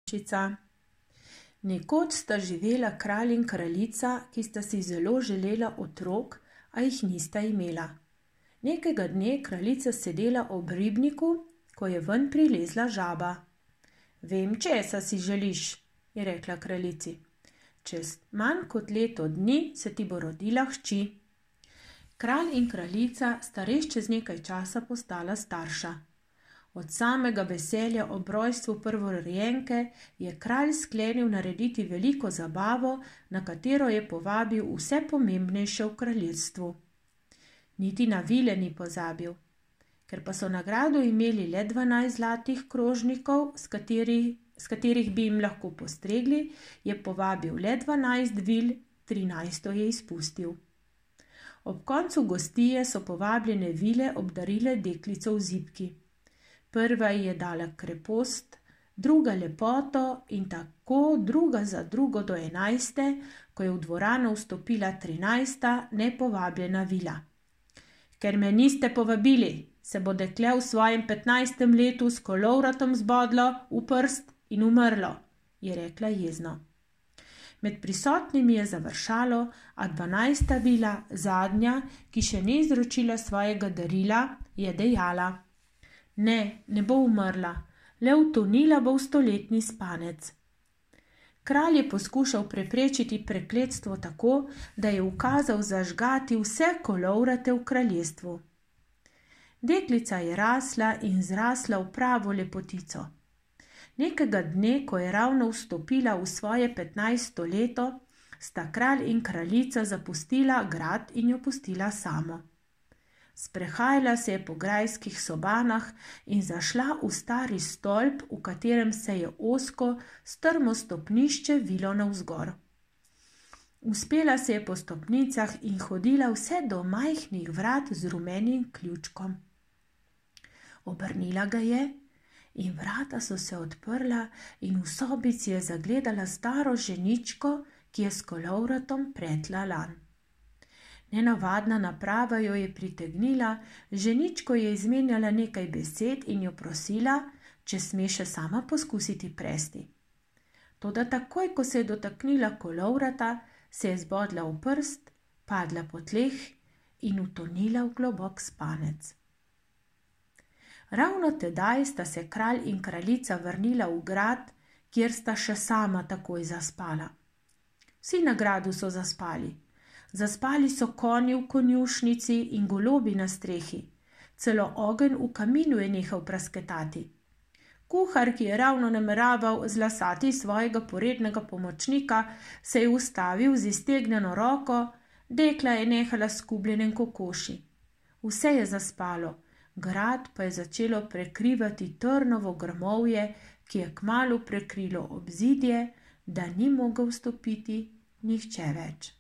Trnulčica. Nekoč sta živela kralj in kraljica, ki sta si zelo želela otrok, a jih nista imela. Nekega dne kraljica sedela ob ribniku, ko je ven prilezla žaba. Vem, česa si želiš, je rekla kraljici. Čez manj kot leto dni se ti bo rodila hči. Kralj in kraljica sta res čez nekaj časa postala starša. Od samega veselja ob rojstvu prvorojenke je kralj sklenil narediti veliko zabavo, na katero je povabil vse pomembnejše v kraljestvu. Niti na vile ni pozabil. Ker pa so nagrado imeli le 12 zlatih krožnikov, s katerih bi jim lahko postregli, je povabil le 12 vil, 13 je izpustil. Ob koncu gostije so povabljene vile obdarile deklico v zibki. Prva ji je dala krepost, druga lepoto in tako druga za drugo do 11., ko je v dvorano vstopila 13. nepovabljena vila. Ker me niste povabili, se bo dekle v svojem 15. letu s kolovratom zbodlo v prst in umrlo, je rekla jezno. Med prisotnimi je završalo, a 12. vila, zadnja, ki še ni izročila svojega darila, je dejala: Ne bo umrla, le utonila bo v stoletni spanec. Kralj je poskušal preprečiti prekletstvo tako, da je ukazal zažgati vse kolovrate v kraljestvu. Deklica je rasla in zrasla v pravo lepotico. Nekega dne, ko je ravno vstopila v svoje 15. leto, sta kralj in kraljica zapustila grad in jo pustila samo. Sprehajala se je po grajskih sobanah in zašla v stari stolp, v katerem se je ozko, strmo stopnišče vilo navzgor. Uspela se je po stopnicah in hodila vse do majhnih vrat z rumenim ključkom. Obrnila ga je in vrata so se odprla in v sobici je zagledala staro ženičko, ki je s kolovratom pretla lan. Nenavadna naprava jo je pritegnila, ženičko je izmenjala nekaj besed in jo prosila, če sme še sama poskusiti presti. Toda takoj, ko se je dotaknila kolovrata, se je zbodla v prst, padla po tleh in utonila v globok spanec. Ravno tedaj sta se kralj in kraljica vrnila v grad, kjer sta še sama takoj zaspala. Vsi na gradu so zaspali. Zaspali so konji v konjušnici in golobi na strehi. Celo ogenj v kaminu je nehal prasketati. Kuhar, ki je ravno nameraval zlasati svojega porednega pomočnika, se je ustavil z iztegnjeno roko, dekla je nehala s skubljenem kokoši. Vse je zaspalo, grad pa je začelo prekrivati trnovo grmovje, ki je kmalu prekrilo obzidje, da ni mogel vstopiti nihče več.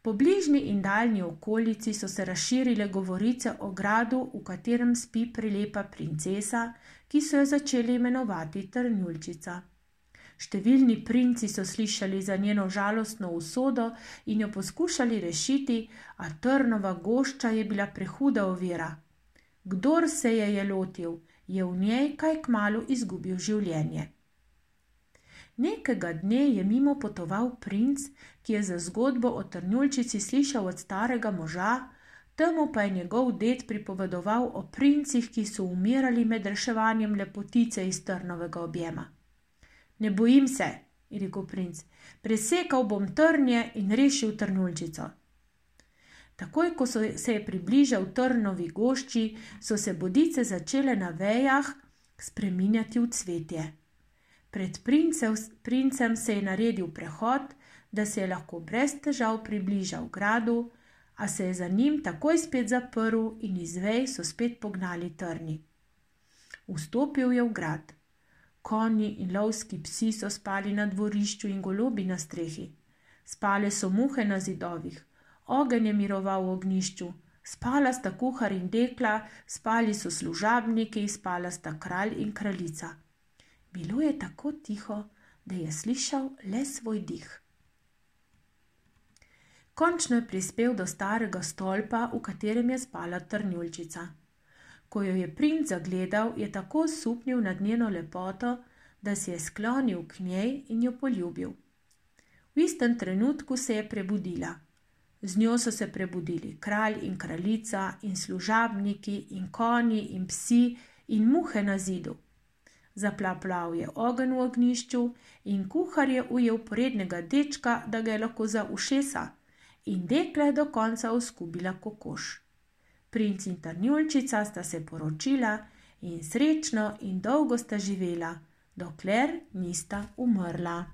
Po bližnji in daljni okolici so se razširile govorice o gradu, v katerem spi prelepa princesa, ki so jo začeli imenovati Trnulčica. Številni princi so slišali za njeno žalostno usodo in jo poskušali rešiti, a trnova gošča je bila prehuda ovira. Kdor se je lotil, je v njej kaj kmalu izgubil življenje. Nekega dne je mimo potoval princ, ki je za zgodbo o Trnulčici slišal od starega moža, temu pa je njegov ded pripovedoval o princih, ki so umirali med reševanjem lepotice iz trnovega objema. Ne bojim se, je rekel princ, presekal bom trnje in rešil Trnulčico. Takoj, ko se je približal trnovi gošči, so se bodice začele na vejah spreminjati v cvetje. Pred princem se je naredil prehod, da se je lahko brez težav približal gradu, a se je za njim takoj spet zaprl in iz vej so spet pognali trni. Vstopil je v grad. Konji in lovski psi so spali na dvorišču in golobi na strehi. Spale so muhe na zidovih, ogenj je miroval v ognjišču, spala sta kuhar in dekla, spali so služabniki, spala sta kralj in kraljica. Bilo je tako tiho, da je slišal le svoj dih. Končno je prispel do starega stolpa, v katerem je spala Trnulčica. Ko jo je princ zagledal, je tako osupnil nad njeno lepoto, da se je sklonil k njej in jo poljubil. V istem trenutku se je prebudila. Z njo so se prebudili kralj in kraljica in služabniki in konji in psi in muhe na zidu. Zaplaplav je ogenj v ognjišču in kuhar je ujel porednega dečka, da ga je lahko za ušesa, in dekle do konca oskubila kokoš. Princ in Tanjulčica sta se poročila in srečno in dolgo sta živela, dokler nista umrla.